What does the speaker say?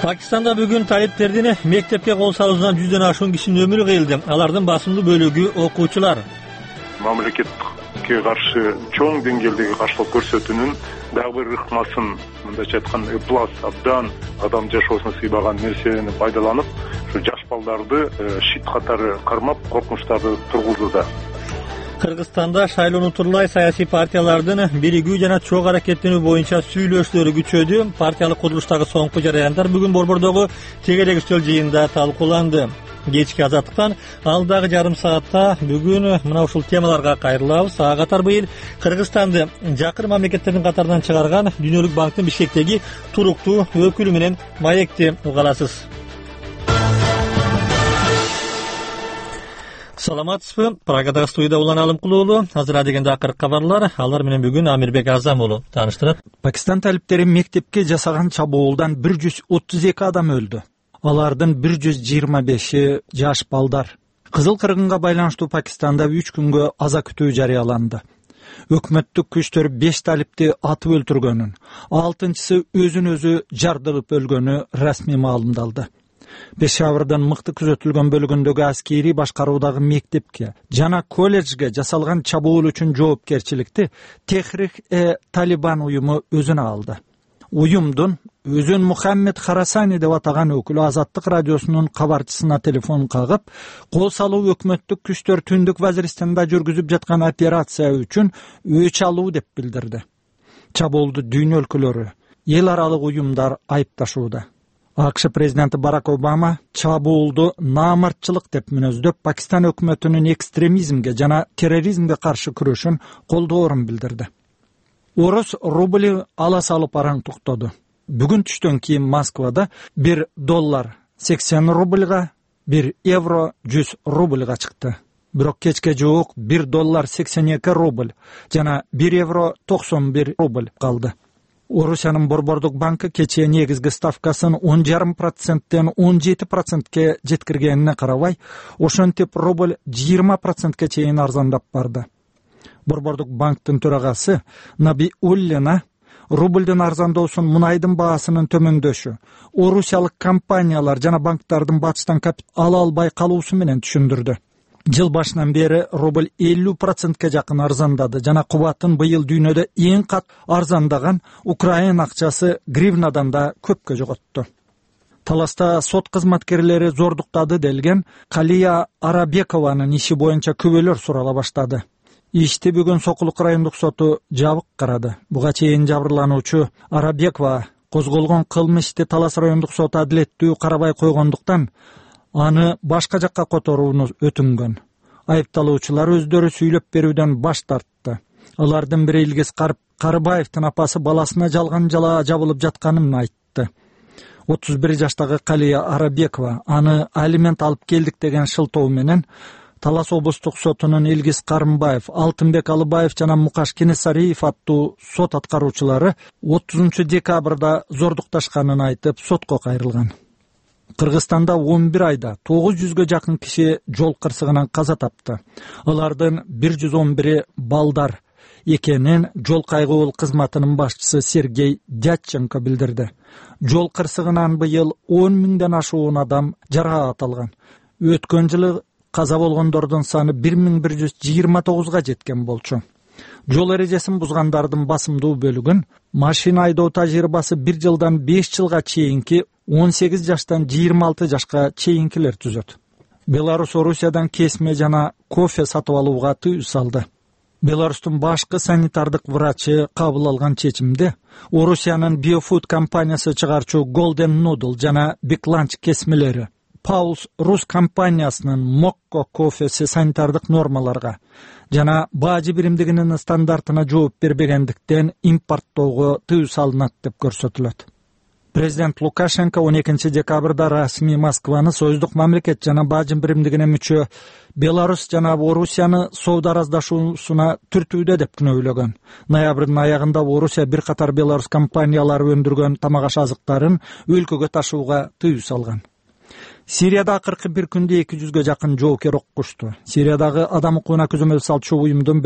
Пакистанда бүгүн талиптердин мектепке кол салуусунан 100дөн ашуун кишинин өмүрү кыйылды. Алардын басымдуу бөлүгү окуучулар. Мамлекетке каршы чоң деңгээлдеги каршылык көрсөтүүнүн дагы бир ыкмасын, мындайча айтканда, ыплас абдан адам жашоосуна сыйбаган нерсени пайдаланып, ушу жаш балдарды шит катары кармап, коркунучтарды тургузууда. Кыргызстанда шайлоону турлай саясий партиялардын биригүү жана чогуу аракеттенүү боюнча сүйлөшүүлөрү күчөдү. Партиялык курулуштагы соңку жараяндар бүгүн Борбордогу тегерек үстөл жыйынында талкууланды. Кечки азаттыктан алдагы жарым саатта бүгүн мына ушул темаларга кайрылабыз. Ага катар быйыл Кыргызстанды жакын мамлекеттердин катарынан чыгарган Дүйнөлүк банктын Бишкектеги туруктуу өкүлү менен маекти уга аласыз. Саламатсызбы? Прагадагы студияда Улан Алымкулуу уулу. Азыр дегенде акыркы кабарлар. Алар менен бүгүн Амирбек Азам уулу тааныштырат. Пакистан талиптери мектепке жасаган чабуулдан 132 адам өлдү. Алардын 125 жаш балдар. Кызыл кыргынга байланыштуу Пакистанда 3 күнгө аза күтүү жарыяланды. Өкмөттүк күчтөр 5 талипти атып өлтүргөнүн, 6-чысы өзүн өзү жардырып өлгөнү расмий маалымдалды. Пешаврдын мыкты күзөтүлгөн бөлүгүндөгү аскерий башкаруудагы мектепке жана колледжге жасалган чабуул үчүн жоопкерчиликти Техрик-Талибан уюму өзүнө алды. Уюмдун өзүн Мухаммед Харасани деп атаган өкүлү Азаттык радиосунун кабарчысына телефон кагып, кол салуу өкмөттүк күчтөр Түндүк Вазиристанда жүргүзүп жаткан операция үчүн өч алуу деп билдирди. Чабуулду дүйнө өлкөлөрү, эл аралык уюмдар айыпташууда. АКШ президенти Барак Обама чабуулду наамартчылык деп мүнөздөп, Пакистан өкмөтүнүн экстремизмге жана терроризмге каршы күрөшүн колдоорун билдирди. Орус рубли ала салып араң токтоду. Бүгүн түштөн кийин Москвада $1 80 рубльга, €1 100 рубльга чыкты. Бирок кечке жуук $1 82 рубль жана €1 91 рубль калды. Орусиянын Борбордук банкы кечээ негизги ставкасын 10,5%тен 17%ке жеткиргенине карабай, ошентип рубль 20%ке чейин арзандап барды. Борбордук банктын төрагасы Наби Уллина рубльдин арзандоосун мунайдын баасынын төмөндөшү, орусиялык компаниялар жана банктардын батыштан капитал ала албай калуусу менен түшүндүрдү. Жыл башынан бери рубль 50%ке жакын арзандады жана кубатын быйыл дүйнөдө эң кат арзандаган Украина акчасы гривнадан да көпкө жоготту. Таласта сот кызматкерлери зордуктады делген Калия Арабекованын иши боюнча күбөлөр сурала баштады. Ишти бүгүн Сокулук райондук соту жабык карады. Буга чейин жабырлануучу Арабекова козголгон кылмышты Талас райондук соту адилеттүү карабай койгондуктан аны башка жакка которууну өтүнгөн. Айыпталуучулар өздөрү сүйлөп берүүдөн баш тартты. Алардын бири Илгиз Карыбаевдин апасы баласына жалган жала жабылып жатканын айтты. 31 жаштагы Калия Арабекова аны алимент алып келдик деген шылтоо менен Талас облустук сотунун Илгиз Карымбаев, Алтынбек Алыбаев жана Мукаш Кенесариев аттуу сот аткаруучулары 30 декабрда зордукташканын айтып сотко кайрылган. Кыргызстанда 11 айда 900гө жакын киши жол кырсыгынан каза тапты. Алардын 111 балдар экенин жол кайгуул кызматынын башчысы Сергей Дядченко билдирди. Жол кырсыгынан быйыл 10 миңден ашуун адам жараат алган. Өткөн жылы каза болгондордун саны 1129га жеткен болчу. Жол эрежесин бузгандардын басымдуу бөлүгүн машина айдоо тажрыйбасы 1 жылдан 5 жылга чейинки 18 жаштан 26 жашка чейинкилер түзөт. Беларус Орусиядан кесме жана кофе сатып алууга тыюу салды. Беларустун башкы санитардык врачы кабыл алган чечимде Орусиянын Biofood компаниясы чыгарчу Golden Noodle жана Big Lunch кесмелери Paul's Rus компаниясынын Mokko кофеси санитардык нормаларга жана бажы биримдигинин стандартына жооп бербегендиктен импорттоого тыюу салынат деп көрсөтүлөт. Президент Лукашенко 12 декабрда расмий Москваны союздук мамлекет жана бажы биримдигине мүчө Беларусь жана Орусияны соода араздашуусуна түртүүдө деп күнөөлөгөн. Ноябрдын аягында Орусия бир катар Беларусь компаниялары өндүргөн тамак аш азыктарын өлкөгө ташууга тыюу салган. Сирияда акыркы бир күндө 200гө жакын жоокер оккушту. Сириядагы адам укугуна көзөмөл салчу уюмдун